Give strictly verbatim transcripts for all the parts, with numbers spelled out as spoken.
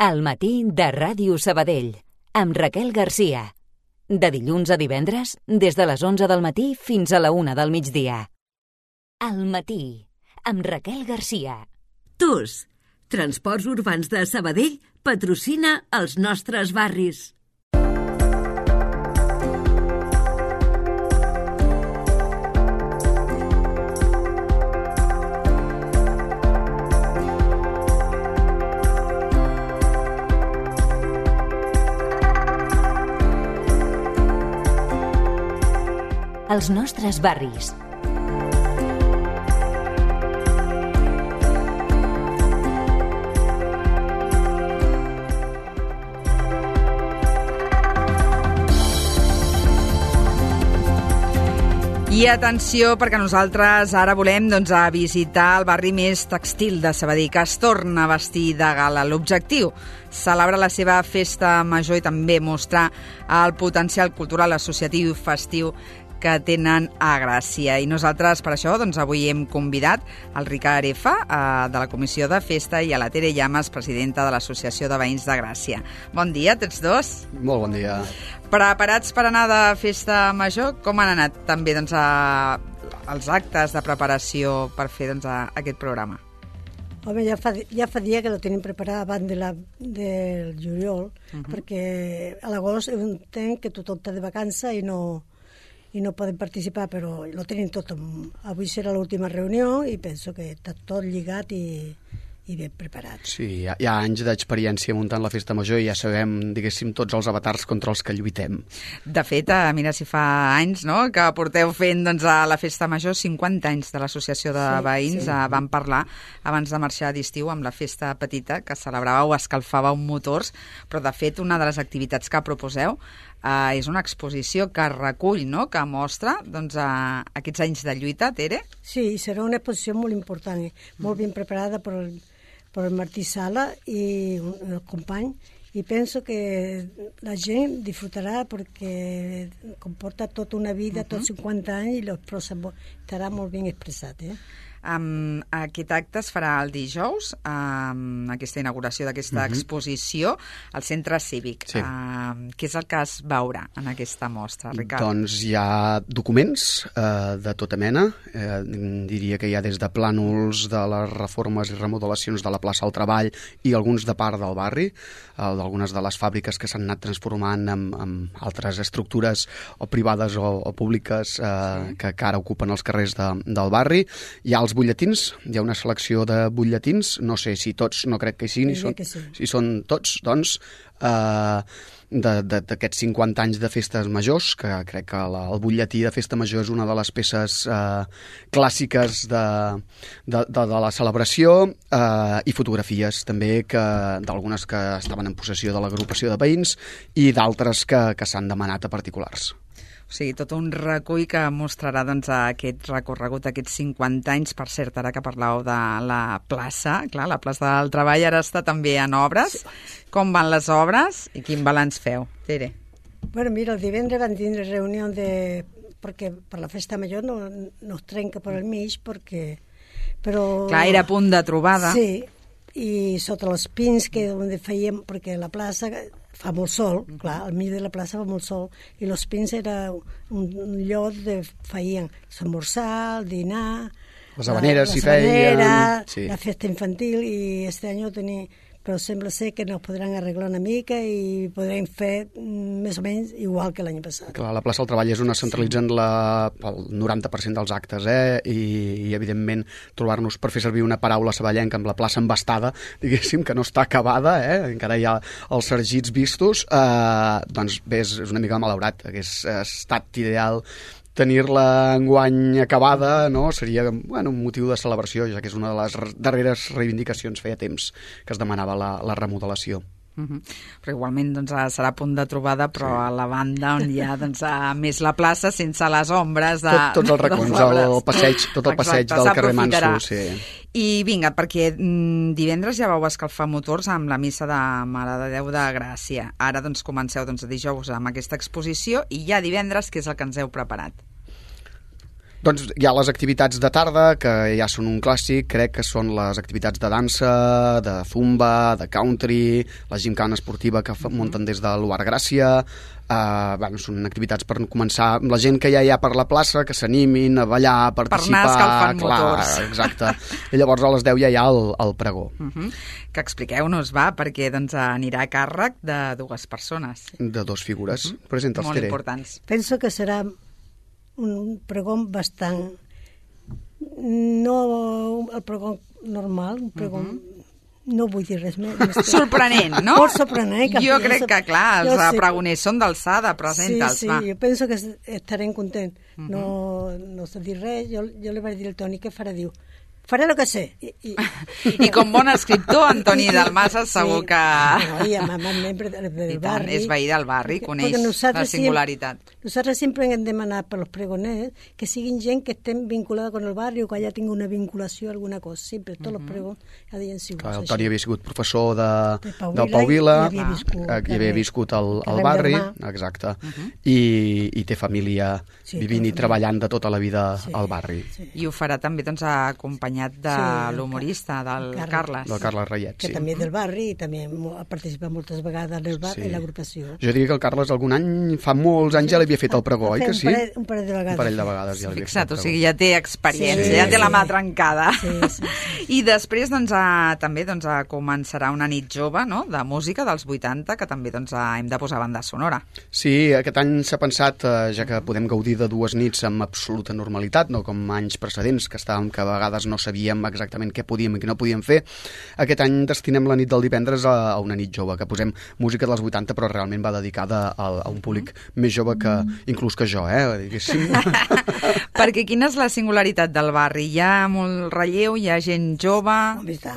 Al matí de Ràdio Sabadell, amb Raquel Garcia. De dilluns a divendres, des de les onze del matí fins a la una del migdia. Al matí, amb Raquel Garcia. T U S, Transports Urbans de Sabadell, patrocina els nostres barris. Els nostres barris. I atenció, perquè nosaltres ara volem doncs, a visitar el barri més textil de Sabadell, que es torna a vestir de gala. L'objectiu, celebrar la seva festa major i també mostrar el potencial cultural, associatiu i festiu que tenen a Gràcia. I nosaltres, per això, doncs, avui hem convidat el Ricard F, eh, de la Comissió de Festa, i a la Tere Llamas, presidenta de l'Associació de Veïns de Gràcia. Bon dia, tots dos. Molt bon dia. Preparats per anar de festa major? Com han anat també doncs, a, els actes de preparació per fer doncs, a, aquest programa? Home, ja fa, ja fa dia que lo tenim preparat abans de la, del juliol, uh-huh. perquè a l'agost entenc que tothom està de vacança i no, i no poden participar, però lo tenim tot. Avui serà l'última reunió i penso que està tot lligat i, i ben preparat. Sí, hi ha, hi ha anys d'experiència muntant la festa major i ja sabem, diguéssim, tots els avatars contra els que lluitem. De fet, mira, si fa anys no, que porteu fent doncs, a la festa major, cinquanta anys de l'Associació de sí, Veïns, sí. Vam parlar abans de marxar d'estiu amb la festa petita, que celebràveu, escalfàveu motors, però de fet una de les activitats que proposeu Uh, és una exposició que recull, no?, que mostra doncs, uh, aquests anys de lluita, Tere? Sí, serà una exposició molt important, eh? molt ben preparada per el, per el Martí Sala i un, el company, i penso que la gent disfrutarà perquè comporta tota una vida, uh-huh. tots cinquanta anys, i estarà molt ben expressat, eh? Um, aquest acte es farà el dijous, um, aquesta inauguració d'aquesta uh-huh. exposició al Centre Cívic. Sí. Uh, què és el que es veurà en aquesta mostra, Ricard? Doncs hi ha documents uh, de tota mena. Uh, diria que hi ha des de plànols de les reformes i remodelacions de la plaça al Treball i alguns de part del barri, uh, d'algunes de les fàbriques que s'han anat transformant en, en altres estructures o privades o, o públiques uh, sí. que, que ara ocupen els carrers de, del barri. Hi ha els butlletins, hi ha una selecció de butlletins, no sé si tots, no crec que hi siguin, són, sí. si són tots, doncs, eh, d'aquests cinquanta anys de festes majors, que crec que la, el butlletí de festa major és una de les peces eh, clàssiques de, de, de, de la celebració, eh, i fotografies també que d'algunes que estaven en possessió de l'agrupació de veïns i d'altres que, que s'han demanat a particulars. O sigui, tot un recull que mostrarà doncs, aquest recorregut, aquests cinquanta anys. Per cert, ara que parlàveu de la plaça, clar, la plaça del Treball ara està també en obres. Sí. Com van les obres i quin balanç feu, Tere? Bueno, mira, el divendres van tindre reunió de... perquè per la festa major no, no es trenca per al mig, perquè... Però... Clar, era punt de trobada. Sí, i sota els pins que on fèiem, perquè la plaça fa molt sol, uh-huh. clar, al mig de la plaça fa molt sol, i els pins era un, un lloc de feien l'esmorzar, el dinar, les habaneres la, s'hi feien, sí. la festa infantil, i este any ho tenia... però sembla ser que nos podran arreglar una mica i podrem fer més o menys igual que l'any passat. Clar, la plaça del Treball és on es centralitzen sí. la, el noranta per cent dels actes, eh? I, i evidentment trobar-nos, per fer servir una paraula saballenca, amb la plaça embastada, diguéssim, que no està acabada, eh? Encara hi ha els sargits vistos, eh, doncs bé, és una mica malaurat, hagués estat ideal tenir-la enguany acabada, no? Seria bueno, un motiu de celebració, ja que és una de les darreres reivindicacions, feia temps que es demanava la, la remodelació. Uh-huh. Però igualment doncs, serà punt de trobada, però sí. a la banda on hi ha doncs, més la plaça sense les ombres de, Tot, tots els racons, el passeig, tot el passeig Exacte, del carrer Manso. Sí. I vinga, perquè mm, divendres ja vau escalfar motors amb la missa de Mare de Déu de Gràcia. Ara doncs, comenceu doncs, dijous amb aquesta exposició i ja divendres, què és el que ens heu preparat? Doncs hi ha les activitats de tarda, que ja són un clàssic, crec que són les activitats de dansa, de zumba, de country, la gimcana esportiva que uh-huh. munten des de l'U A R Gràcia. Uh, bueno, són activitats per començar amb la gent que ja hi ha per la plaça, que s'animin a ballar, a participar... Per anar escalfant clar, motors. Exacte. I llavors a les deu ja hi ha el, el pregó. Uh-huh. Que expliqueu-nos, va, perquè doncs, anirà a càrrec de dues persones. De dos figures. Uh-huh. Presenta els Molt Tere. importants. Penso que serà un pregó bastant... No el pregó normal, un pregó... Uh-huh. No vull dir res més. Sorprenent, no? Molt sorprenent. Que jo crec que, clar, els sí. pregoners són d'alçada, presenta'ls, sí, sí, va. jo penso que estarem contents. Uh -huh. No, no sé dir res, jo, jo li vaig dir al Toni que farà, diu, faré el que sé. I, i... I com bon escriptor, Antoni Dalmases, segur sí. que... No, i amb, amb membre del I tant, barri. és veí del barri, perquè, coneix perquè la singularitat. Sempre, nosaltres sempre hem demanat per als pregoners que siguin gent que estem vinculada con el barri o que haya tingut una vinculació a alguna cosa. Sempre, tots els pregons havien sigut Clar, el així. Toni havia sigut professor de, de Pau del Pau Vila, i havia viscut, ah, i havia viscut al, al barri, exacte, uh -huh. i, i té família sí, vivint i treballant de tota la vida sí, al barri. Sí. I ho farà també doncs, acompanyat de sí, l'humorista, del Carles. Carles. Del Carles Rayet, que sí. també és del barri i també ha participat moltes vegades en el barri sí. i l'agrupació. Jo diria que el Carles algun any, fa molts anys, ja l'havia fet el pregó, oi que sí? Un parell, un parell de vegades. Un parell de vegades ja l'havia Fixa't, fet o sigui, ja té experiència, sí, ja té sí. la mà trencada. Sí, sí, sí. I després doncs, a, també doncs, a començarà una nit jove, no?, de música dels vuitanta, que també doncs, a, hem de posar banda sonora. Sí, aquest any s'ha pensat, eh, ja que podem gaudir de dues nits amb absoluta normalitat, no com anys precedents, que estàvem que a vegades no sabíem exactament què podíem i què no podíem fer, aquest any destinem la nit del divendres a, a una nit jove, que posem música dels vuitanta, però realment va dedicada a, a un públic més jove que, inclús que jo, eh, diguéssim. Perquè quina és la singularitat del barri? Hi ha molt relleu, hi ha gent jove... Home, està.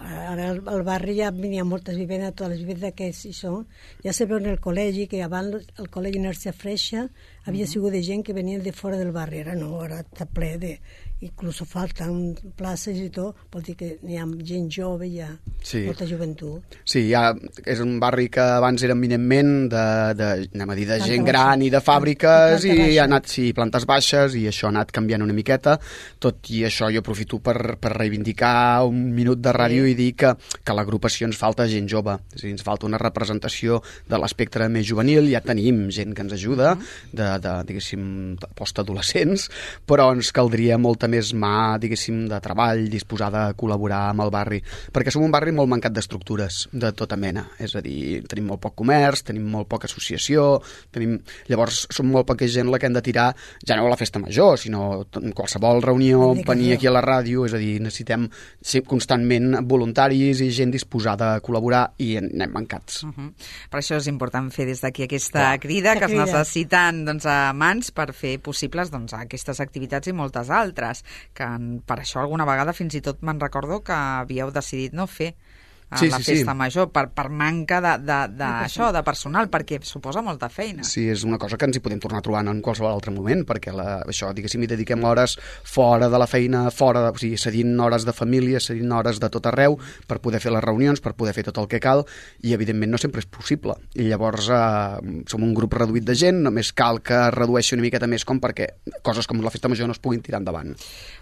Ara al, al barri ja venia moltes vivendes, totes les vivendes que hi són. Ja se veu en el col·legi, que abans el col·legi Narcia Freixa havia sigut de gent que venien de fora del barri. Ara no, ara està ple de... Inclús falten places i tot, vol dir que hi ha gent jove, hi ha sí. molta joventut. Sí, ja és un barri que abans era eminentment de, de, anem a dir, de planta gent baixa. Gran i de fàbriques i, i ha anat, sí, plantes baixes, i això ha anat canviant una miqueta. Tot i això jo aprofito per, per reivindicar un minut de ràdio sí. i dir que, que a l'agrupació ens falta gent jove, és a dir, ens falta una representació de l'espectre més juvenil. Ja tenim gent que ens ajuda, de, de diguéssim, postadolescents, però ens caldria molta més mà, diguéssim, de treball, disposada a col·laborar amb el barri, perquè som un barri molt mancat d'estructures de tota mena, és a dir, tenim molt poc comerç, tenim molt poca associació, tenim... llavors som molt poca gent la que hem de tirar, ja no a la festa major, sinó en qualsevol reunió, venir aquí a la ràdio, és a dir, necessitem ser constantment voluntaris i gent disposada a col·laborar i anem mancats. Uh -huh. Per això és important fer des d'aquí aquesta Clar. crida, que es necessiten doncs, a mans per fer possibles doncs, aquestes activitats i moltes altres, que per això alguna vegada fins i tot me'n recordo que havíeu decidit no fer a sí, la sí, festa sí. major per, per manca de, de, de, això, de personal, perquè suposa molta feina. Sí, és una cosa que ens hi podem tornar trobant en qualsevol altre moment, perquè la, això, diguéssim, hi dediquem hores fora de la feina, fora, de, o sigui, cedint hores de família, cedint hores de tot arreu per poder fer les reunions, per poder fer tot el que cal, i evidentment no sempre és possible. I llavors eh, som un grup reduït de gent, només cal que redueixi una miqueta més com perquè coses com la festa major no es puguin tirar endavant.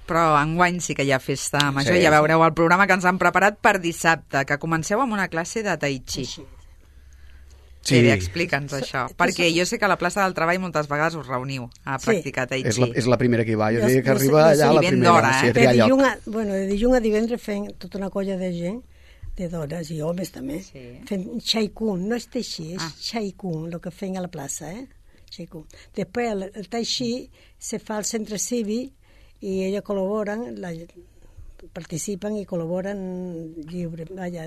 Però enguany sí que hi ha festa major, sí, ja veureu el programa que ens han preparat per dissabte, que comenceu amb una classe de tai chi. Sí. Sí, explica'ns això, perquè jo sé que a la plaça del Treball moltes vegades us reuniu a practicar sí. tai chi. És la, és la primera que hi va, jo, jo diria que jo arriba sé, allà sí, la primera. d'hora, eh? Sí, de, dilluns a, bueno, de dilluns a divendres fent tota una colla de gent, de dones i homes també, sí. fent Chai Kung, no és Tai Chi, és ah. Chai Kung, el que fem a la plaça, eh? Chai Kung. Després el, el Tai Chi se fa al centre cívic i elles col·laboren, la, participen i col·laboren lliure, vaja,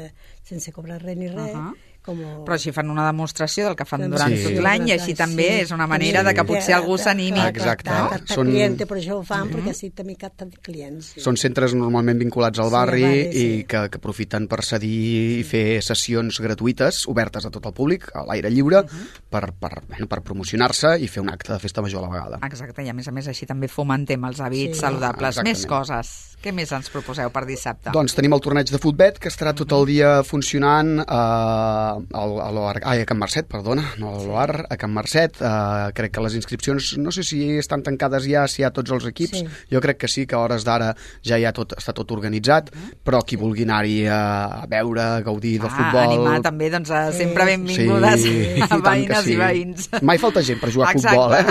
sense cobrar res ni res. Uh -huh. Com... Però així fan una demostració del que fan durant sí. tot l'any i així també sí. és una manera sí. de que potser algú s'animi. Exacte. No? Captar Són... client, per això ho fan, mm-hmm. perquè així també capten clients. Sí. Són centres normalment vinculats al barri, sí, al barri sí. i que, que aprofiten per cedir i fer sessions gratuïtes, obertes a tot el públic, a l'aire lliure, mm-hmm. per, per, bueno, per promocionar-se i fer un acte de festa major a la vegada. Exacte, i a més a més així també fomentem els hàbits sí. saludables. Exactament. Més coses. Què més ens proposeu per dissabte? Doncs tenim el torneig de futbet, que estarà tot el dia funcionant eh, a l'O A R, ai, a Can Marcet, perdona, no a l'O A R, a Can Marcet. Uh, crec que les inscripcions, no sé si estan tancades ja, si hi ha tots els equips. Sí. Jo crec que sí, que a hores d'ara ja hi ha tot, està tot organitzat, uh-huh. però qui vulgui anar-hi a, a veure, a gaudir ah, del futbol... Animar també, doncs, sí. sempre benvingudes sí, a veïnes sí. i veïns. Mai falta gent per jugar a futbol, eh?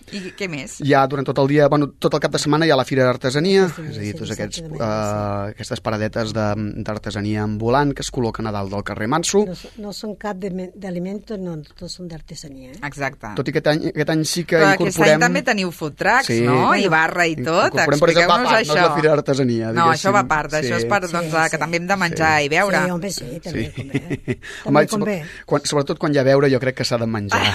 I què més? Hi ha durant tot el dia, bueno, tot el cap de setmana hi ha la Fira d'Artesania, sí, és a dir, tots aquests, uh, aquestes paradetes d'artesania ambulant que es col·loquen a dalt del carrer Manso. No, no són cap d'aliments, no, tots són d'artesania. Eh? Exacte. Tot i aquest any, aquest any sí que Però incorporem... Però aquest any també teniu food trucks, sí. no? I barra i tot. Incorporem, per exemple, va part, no és la Fira d'Artesania. No, això va a part, sí. això és per, doncs, sí, que també hem de menjar sí. i beure. Sí, home, sí, també sí. convé. També convé. Quan, sobretot quan hi ha beure, jo crec que s'ha de menjar.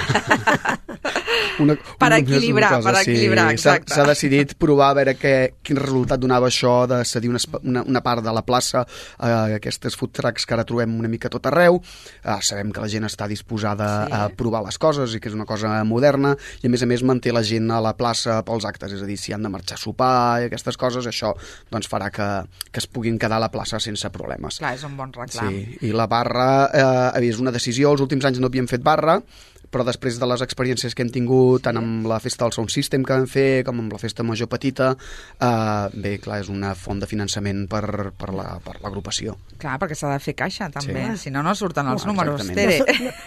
Una, per equilibrar, cosa, per equilibrar, sí. exacte. S'ha decidit provar a veure què, quin resultat donava això de cedir una, una, una part de la plaça a uh, aquestes food trucks que ara trobem una mica tot arreu. Uh, sabem que la gent està disposada sí. a provar les coses i que és una cosa moderna i a més a més manté la gent a la plaça pels actes, és a dir, si han de marxar a sopar i aquestes coses, això doncs, farà que, que es puguin quedar a la plaça sense problemes. Clar, és un bon reclam. Sí. I la barra eh, és una decisió, els últims anys no havíem fet barra, però després de les experiències que hem tingut tant amb la festa del Sound System que vam fer com amb la festa major petita, eh, bé, clar, és una font de finançament per, per l'agrupació. La, clar, perquè s'ha de fer caixa, també. Sí. Si no, no surten els no, números, Tere.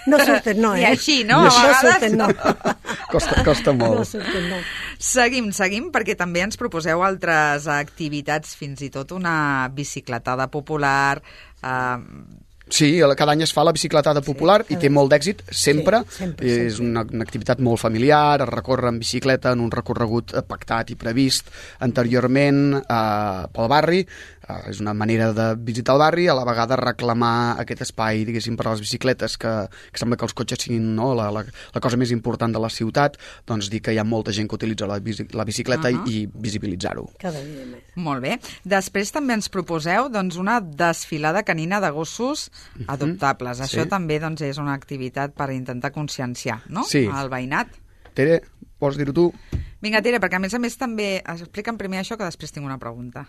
No, no surten, no, eh? I així, no? A vegades... No surten, no. costa, costa molt. No surten, no. Seguim, seguim, perquè també ens proposeu altres activitats, fins i tot una bicicletada popular... Eh, Sí, cada any es fa la bicicletada popular sí, i té molt d'èxit, sempre. Sí, sempre, sempre. És una, una activitat molt familiar, es recorre en bicicleta en un recorregut pactat i previst anteriorment eh, pel barri. Uh, és una manera de visitar el barri, a la vegada reclamar aquest espai, diguéssim, per a les bicicletes, que, que sembla que els cotxes siguin no, la, la, la cosa més important de la ciutat, doncs dir que hi ha molta gent que utilitza la, bici, la bicicleta uh -huh. i, i visibilitzar-ho. Cada dia més. Molt bé. Després també ens proposeu doncs, una desfilada canina de gossos uh -huh. adoptables. Això sí. també doncs, és una activitat per intentar conscienciar, no?, sí. al veïnat. Tere, vols dir-ho tu? Vinga, Tere, perquè a més a més també explica'm primer això, que després tinc una pregunta.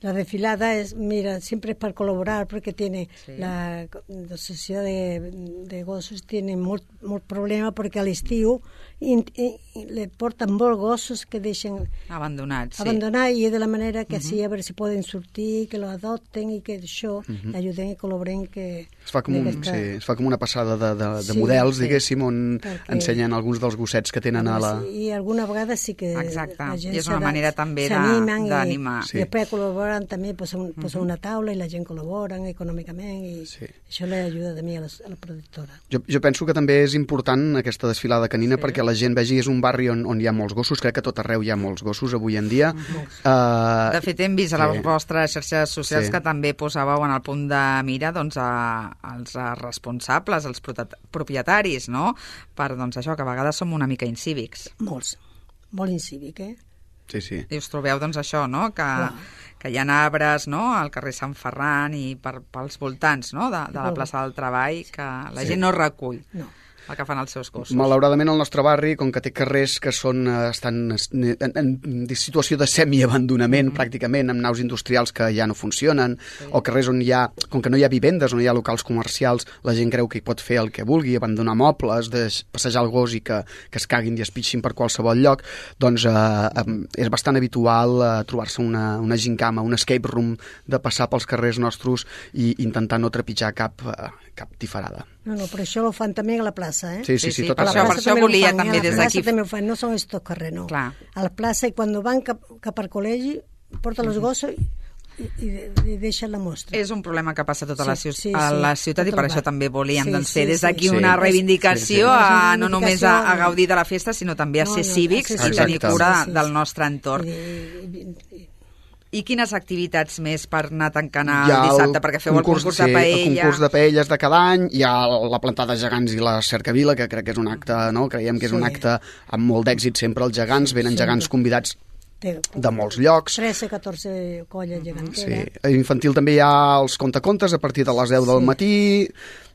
La desfilada es, mira, siempre es para colaborar porque tiene sí. la, la sociedad de, de gossos tiene molt, molt problema perquè a l'estiu i, i, i le porten molts gossos que deixen abandonats, sí. abandonar i de la manera que uh -huh. així a veure si poden sortir, que lo adopten i que això uh -huh. ajuden i col·laboren que... Es fa com, un, aquesta... sí, es fa com una passada de, de, de sí, models, sí. diguéssim, on perquè... ensenyen alguns dels gossets que tenen a la... Sí, i alguna vegada sí que... Exacte, i és una manera també d'animar. I, i després col·laboren també posen, uh -huh. posen una taula i la gent col·labora econòmicament i sí. això li ajuda també a la, a la productora. Jo, jo penso que també és important aquesta desfilada canina sí. perquè la gent vegi, és un barri on, on hi ha molts gossos, crec que a tot arreu hi ha molts gossos avui en dia. Uh -huh. uh, de fet, hem vist a les sí. vostres xarxes socials sí. que també posàveu en el punt de mira doncs, a, als responsables, als propietaris, no?, per doncs, això, que a vegades som una mica incívics. Molts, molt incívic, eh? Sí, sí. I us trobeu, doncs, això, no?, que... Clar. que hi ha arbres, no?, al carrer Sant Ferran i per, pels voltants, no?, de, de la plaça del Treball, que la sí. gent no recull. No. El que fan els seus gossos. Malauradament el nostre barri, com que té carrers que són, estan en, en, en situació de semiabandonament, mm-hmm. pràcticament, amb naus industrials que ja no funcionen, sí. o carrers on hi ha, com que no hi ha vivendes, on hi ha locals comercials, la gent creu que hi pot fer el que vulgui, abandonar mobles, de passejar el gos i que, que es caguin i es pitxin per qualsevol lloc, doncs eh, és bastant habitual eh, trobar-se una, una gincama, un escape room, de passar pels carrers nostres i intentar no trepitjar cap, eh, cap tifarada. No, no, però això ho fan també a la plaça, eh? Sí, sí, sí, sí, tot per, això, per això volia fan, també des d'aquí. A la plaça també ho fan, no són estos carrers, no. Clar. A la plaça, i quan van cap, cap al col·legi, porten els gossos i, i, i deixen la mostra. És un problema que passa a tota sí, la, ciutat, sí, sí, a la ciutat tota i per això també volíem sí, doncs, fer sí, des d'aquí sí, una sí, reivindicació, sí, sí. A, no només a, a gaudir de la festa, sinó també a ser no, no, cívics a ser i tenir cura sí, sí, del nostre entorn. I, i, i, I quines activitats més per anar tancant el dissabte? Perquè feu concurs, el concurs sí, de paella. El concurs de paelles de cada any, hi ha la plantada de gegants i la cercavila, que crec que és un acte, no? Creiem que és sí. un acte amb molt d'èxit sempre, els gegants, venen sí. gegants convidats de molts llocs. tretze catorze colles geganteres. Sí. A infantil també hi ha els contacontes a partir de les deu del matí.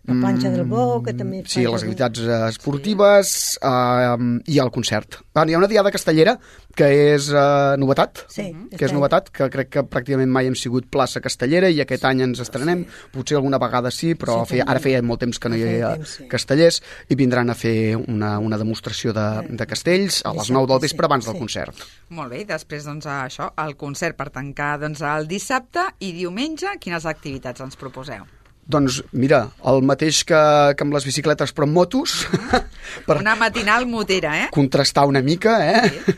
La planxa del bou, que també... Sí, les activitats esportives eh, i el concert. Bueno, hi ha una diada castellera que és eh, novetat, Sí, que és novetat, que crec que pràcticament mai hem sigut plaça castellera i aquest any ens estrenem, potser alguna vegada sí, però Sí, feia, també. ara feia molt temps que no hi Feia havia temps, sí. castellers i vindran a fer una, una demostració de, de castells a les nou del vespre abans del Sí. concert. Molt bé, i després, doncs, això, el concert per tancar, doncs, el dissabte i diumenge, quines activitats ens proposeu? Doncs mira, el mateix que, que amb les bicicletes però amb motos, per Una matinal motera, eh? contrastar una mica, eh? Sí.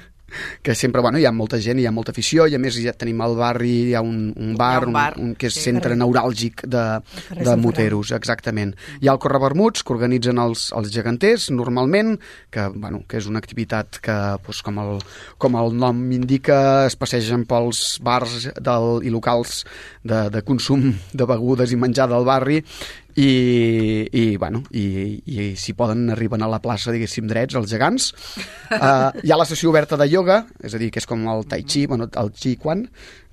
Que sempre, bueno, hi ha molta gent, hi ha molta afició, i a més ja tenim al barri, hi ha un, un bar, un bar, un, un, que és sí, centre neuràlgic de, carrer de Sant moteros, exactament. Hi ha el Correvermuts, que organitzen els, els geganters, normalment, que, bueno, que és una activitat que, doncs, com, el, com el nom indica, es passegen pels bars del, i locals de, de consum de begudes i menjar del barri, i, i, bueno, i, i si poden arriben a la plaça, diguéssim, drets, els gegants. Uh, hi ha la sessió oberta de ioga, és a dir, que és com el tai chi, bueno, el chi quan,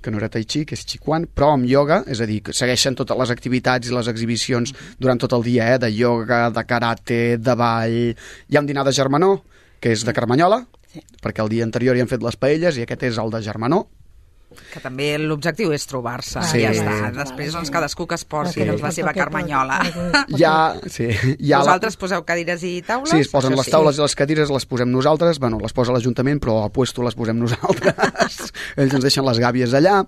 que no era tai chi, que és chi quan, però amb ioga, és a dir, que segueixen totes les activitats i les exhibicions durant tot el dia, eh, de ioga, de karate, de ball. Hi ha un dinar de germanor, que és de Carmanyola, Sí. perquè el dia anterior hi han fet les paelles i aquest és el de germanor. Que també l'objectiu és trobar-se, Sí. i ja està. Sí. Després, doncs, cadascú que es porti Sí. doncs, la seva carmanyola. Hi ha, sí, hi ha la- Vosaltres poseu cadires i taules? Sí, es posen Això les taules i les cadires, les posem nosaltres, bueno, les posa l'Ajuntament, però a puesto les posem nosaltres. Ells ens deixen les gàbies allà.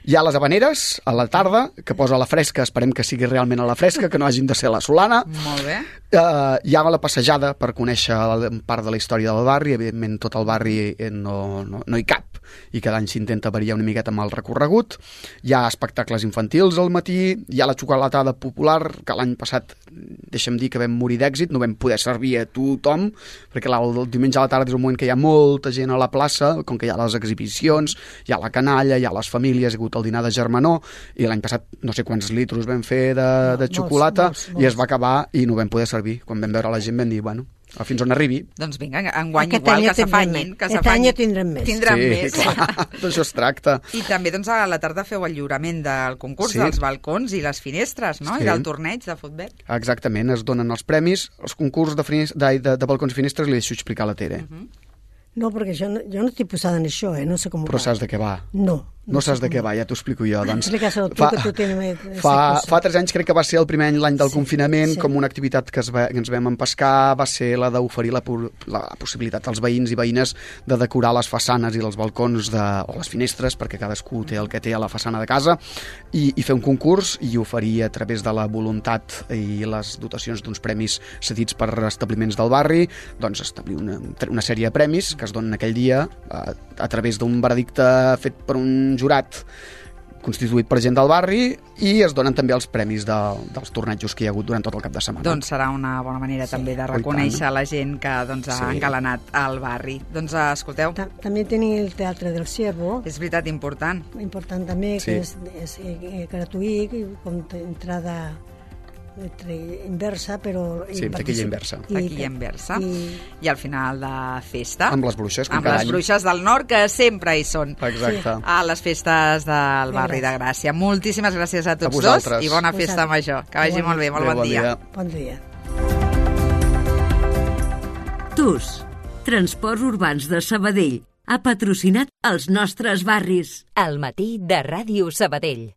Hi ha les habaneres, a la tarda, que posa la fresca, esperem que sigui realment a la fresca, que no hagin de ser a la solana. Molt bé. Uh, hi ha la passejada per conèixer la, part de la història del barri, evidentment tot el barri eh, no, no, no hi cap, i cada any s'intenta variar una miqueta amb el recorregut. Hi ha espectacles infantils al matí, hi ha la xocolatada popular, que l'any passat, deixa'm dir que vam morir d'èxit, no vam poder servir a tothom, perquè la, el diumenge a la tarda és un moment que hi ha molta gent a la plaça, com que hi ha les exhibicions, hi ha la canalla, hi ha les famílies, hi ha hagut el dinar de germanor, i l'any passat no sé quants litros vam fer de, de Molts, xocolata, molts, i molts. es va acabar i no vam poder servir. Quan vam veure la gent vam dir, bueno, fins on arribi. Doncs vinga, enguany Aquest igual, any que ja tindrem s'afanyin. més. Que Aquest s'afanyin. any ja tindrem més. Tindran sí, més. clar, d'això es tracta. I també, doncs, a la tarda feu el lliurament del concurs Sí. dels balcons i les finestres, no? Sí. I del torneig de futbol. Exactament, es donen els premis. Els concurs de, finis- de, de, de balcons i finestres li deixo explicar a la Tere. Mhm. No, perquè jo no, jo no estic posada en això, eh? No sé com Però va. saps de què va? No. No saps sé de com què va. va, ja t'ho explico jo. Doncs, Explica-ho tu, que tu tens més- fa, sí, fa tres anys crec que va ser el primer any l'any del Sí, confinament, sí. com una activitat que, es va, que ens vam empescar, va ser la d'oferir la, pu- la possibilitat als veïns i veïnes de decorar les façanes i els balcons de, o les finestres, perquè cadascú té el que té a la façana de casa, i, i fer un concurs i oferir a través de la voluntat i les dotacions d'uns premis cedits per establiments del barri, doncs establir una, una sèrie de premis que es donen aquell dia a, a través d'un veredicte fet per un jurat constituït per gent del barri, i es donen també els premis de, dels tornejos que hi ha hagut durant tot el cap de setmana. Doncs serà una bona manera sí. també de Oh, i reconèixer tant. la gent que doncs, ha Sí. engalanat al barri. Doncs eh, escolteu, Ta també tenim el Teatre del Ciervo, és veritat important. important també, Sí. que és, és eh, gratuït, i com t- entrada entre inversa, però... Sí, amb taquilla inversa. Taquilla inversa. I, I al final de festa, Amb les bruixes, com amb cada les any. bruixes del nord, que sempre hi són. Exacte. A les festes del barri de Gràcia. Moltíssimes gràcies a tots dos vosaltres. i bona A festa vosaltres. major. Que vagi molt bé, molt Adéu, bon dia. bon dia. T U S, Transports Urbans de Sabadell, ha patrocinat els nostres barris. Al matí de Ràdio Sabadell.